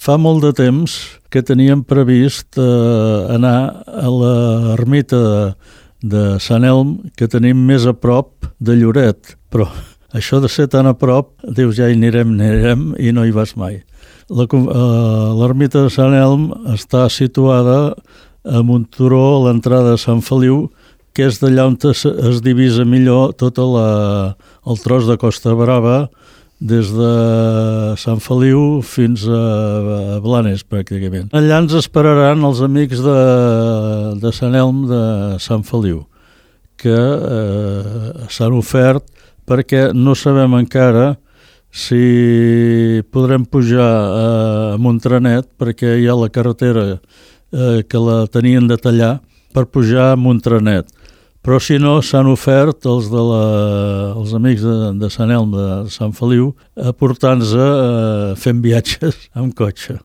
fa molt de temps que teníem previst anar a l'ermita de Sant Elm, que tenim més a prop de Lloret, però això de ser tan a prop, dius ja hi anirem i no hi vas mai. L'ermita de Sant Elm està situada en un turó a l'entrada de Sant Feliu, que és d'allà on es divisa millor tot el tros de Costa Brava, des de Sant Feliu fins a Blanes, pràcticament. Allà ens esperaran els amics de Sant Elm de Sant Feliu, que s'han ofert perquè no sabem encara si podrem pujar a Montranet, perquè hi ha la carretera que la tenien de tallar per pujar a Montranet. Però si no, s'han ofert els amics de Sant Elm de Sant Feliu a portar-nos fent viatges amb cotxe.